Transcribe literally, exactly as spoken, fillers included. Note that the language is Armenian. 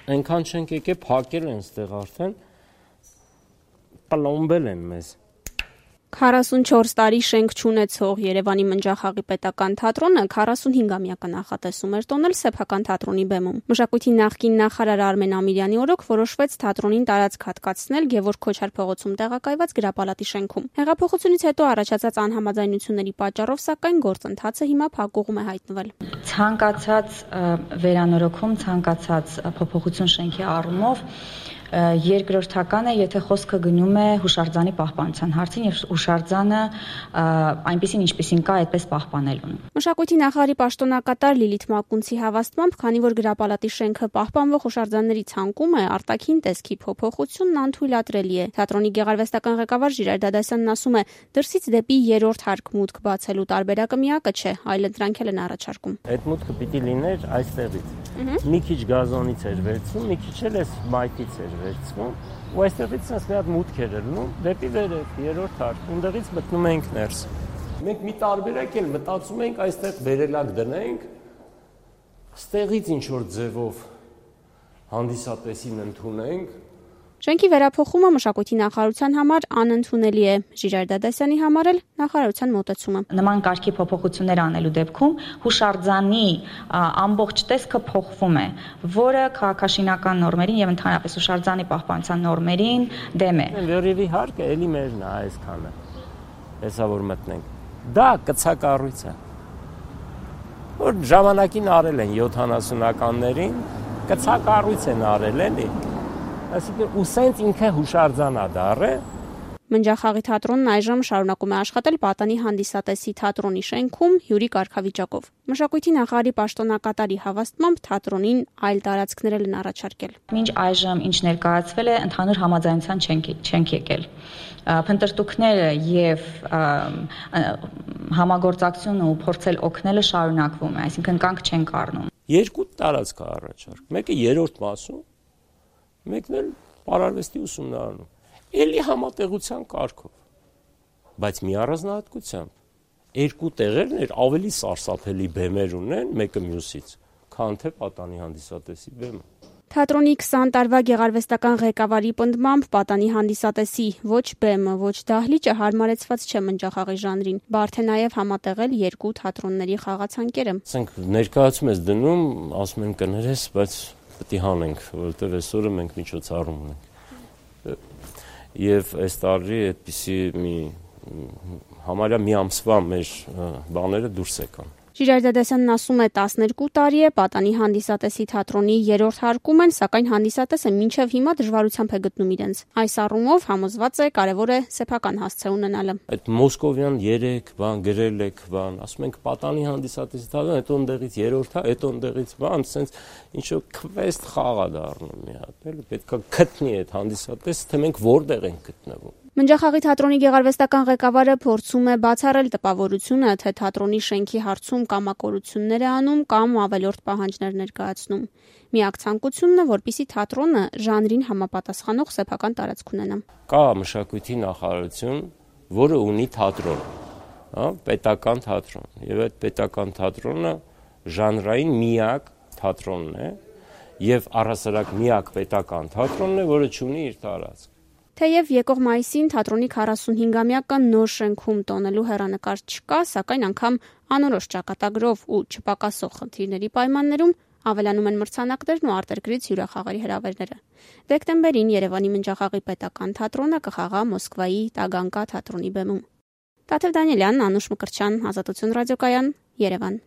Այնքան չենք եկել, փակել են ստեղ արդեն, պլոմբել են մեզ։ քառասունչորս տարի շենք չունեցող Երևանի Մնջախաղի պետական թատրոնը քառասունհինգամյակը նախատեսում էր տոնել սեփական թատրոնի բեմում։ Մշակույթի նախկին նախարար Արմեն Ամիրյանի օրոք որոշվեց թատրոնին տարածք հատկացնել Գևորգ Քոչար փողոցում տեղակայված գրապալատի շենքում։ Հեղափոխությունից հետո առաջացած անհամաձայնությունների պատճառով, սակայն, գործընթացը հիմա փակուղում է հայտնվել։ Ցանկացած վերանորոգում, ցանկացած փոփոխություն շենքի առումով երկրորդական է, եթե խոսքը գնում է հուշարձանի պահպանության հարցին եւ հուշարձանը այնպեսին ինչպեսին կա, այդպես պահպանելուն։ Մշակույթի նախարարի պաշտոնակատար Լիլիթ Մակունցի հավաստմամբ, քանի որ գրապալատի շենքը պահպանվող հուշարձանների ցանկում է, արտաքին տեսքի փոփոխությունն անթույլատրելի է։ Թատրոնի գեղարվեստական ղեկավար Ժիրայր Դադասյանն ասում է, դրսից դեպի երրորդ հարկ մուտք բացելու տարբերակը միակը չէ, այլ ընտրանքել են առաջարկում։ Այդ մուտքը պիտի լիներ այստեղից։ Մի քիչ գազոնից էր վերցվում, մի քիչ էլ էս մայթից էր վերցվում, ու այստեղից sense մի հատ մուտք էր ելնում դեպի վերև, երրորդ հարկ, ունդեղից մտնում ենք ներս։ Մենք մի տարբերակ էլ մտածում ենք այստեղ վերելակ դնենք, ստեղից ինչ որ ձևով հանդիսատեսին ընդունենք։ Շենքի վերափոխումը մշակույթի նախարարության համար անընդունելի է, Ժիրայր Դադասյանի համար էլ նախարարության մոտեցումը։ Նման կարգի փոփոխություններ անելու դեպքում հուշարձանի ամբողջ տեսքը փոխվում է, որը քաղաքաշինական նորմերին եւ ընդհանրապես հուշարձանի պահպանության նորմերին դեմ է։ Վերևի հարկը էլի մերն է այսքանը։ Հեսա որ մտնենք։ Դա կցակառույց է։ Որ ժամանակին արել են յոթանասունականներին, կցակառույց են արել էլի։ Այսինքն ու սենց ինքը հուշարձան է դառը։ Մնջախաղի թատրոնն այժմ շարունակում է աշխատել Պատանի հանդիսատեսի թատրոնի շենքում հյուրի կարգավիճակով։ Մշակույթի նախարարի պաշտոնակատարի հավաստմամբ թատրոնին այլ տարածքներ են առաջարկել։ Մինչ այժմ ինչ ներկայացվել է, ընդհանուր համաձայնության չենք եկել։ Փնտրտուքները եւ համագործակցությունը ու փորձել օգնելը շարունակվում է, այսինքն կանգ չենք առնում։ Երկու տարածք է առաջարկ։ Մեկը երրորդ մասում, մեկն էլ պարարվեստի ուսումնարանում։ Էլի համատեղության կարգով, բայց մի առանձնահատկությամբ երկու տեղերն ավելի սարսափելի բեմեր ունեն մեկը մյուսից, քան թե Պատանի հանդիսատեսի բեմը։ Թատրոնի քսան տարվա գեղարվեստական ղեկավարի պնդմամբ Պատանի հանդիսատեսի ոչ բեմը, ոչ դահլիճը հարմարեցված չէ Մնջախաղի ժանրին, բարդ է նաև համատեղել երկու թատրոնների խաղացանկերը։ Ասենք ներկայացում ես դնում, ասում են կներես, բայց պետք է հանենք, որովհետև այսօրը մենք միջոցառում ունենք։ Եվ այս տարի այդպիսի մի համարյա մի ամսվա մեր բաները դուրս եկան։ Ժիրայր Դադասյանն ասում է, տասներկու տարի է Պատանի հանդիսատեսի թատրոնի երրորդ հարկում են, սակայն հանդիսատեսը մինչև հիմա դժվարությամբ է գտնում իրենց։ Այս առումով համոզված է, կարևոր է սեփական հասցե ունենալը։ Այդ մոսկովյան երեք բան գրել եք, բան, ասում ենք Պատանի հանդիսատեսի թատրոն, հետո ընդեղից երրորդ, հետո ընդեղից բան, sense ինչ որ քվեստ խաղ է դառնում մի հատ, էլի պետք է գտնի այդ հանդիսատեսը, թե մենք որտեղ ենք գտնվում։ Մնջախաղի թատրոնի գեղարվեստական ղեկավարը փորձում է բացառել տպավորությունը, թե թատրոնի շենքի հարցում կամակորություններ է անում կամ ավելորդ պահանջներ ներկայացնում։ Միակ ցանկությունն է, որպեսզի թատրոնը ժանրին համապատասխանող սեփական տարածք ունենա։ Կա մշակույթի նախարարություն, որը ունի թատրոն, հա, պետական թատրոն, եւ այդ պետական թատրոնը ժանրային միակ թատրոնն է եւ առհասարակ միակ պետական թատրոնն է, որը ունի իր տարածք։ Թեև եկող մայիսին թատրոնի քառասունհինգամյակը նոր շենքում տոնելու հեռանկար չկա, սակայն անգամ անորոշ ճակատագրով ու չպակասող խնդիրների պայմաններում ավելանում են մրցանակներն ու արտերկրից հյուրախաղերի հրավերները։ Դեկտեմբերին Երևանի Մնջախաղի պետական թատրոնը կխաղա Մոսկվայի Տագանկա թատրոնի բեմում։ Տաթև Դանիելյան, Անուշ Մկրտչյան, Ազատություն ռադիոկայան, Երևան։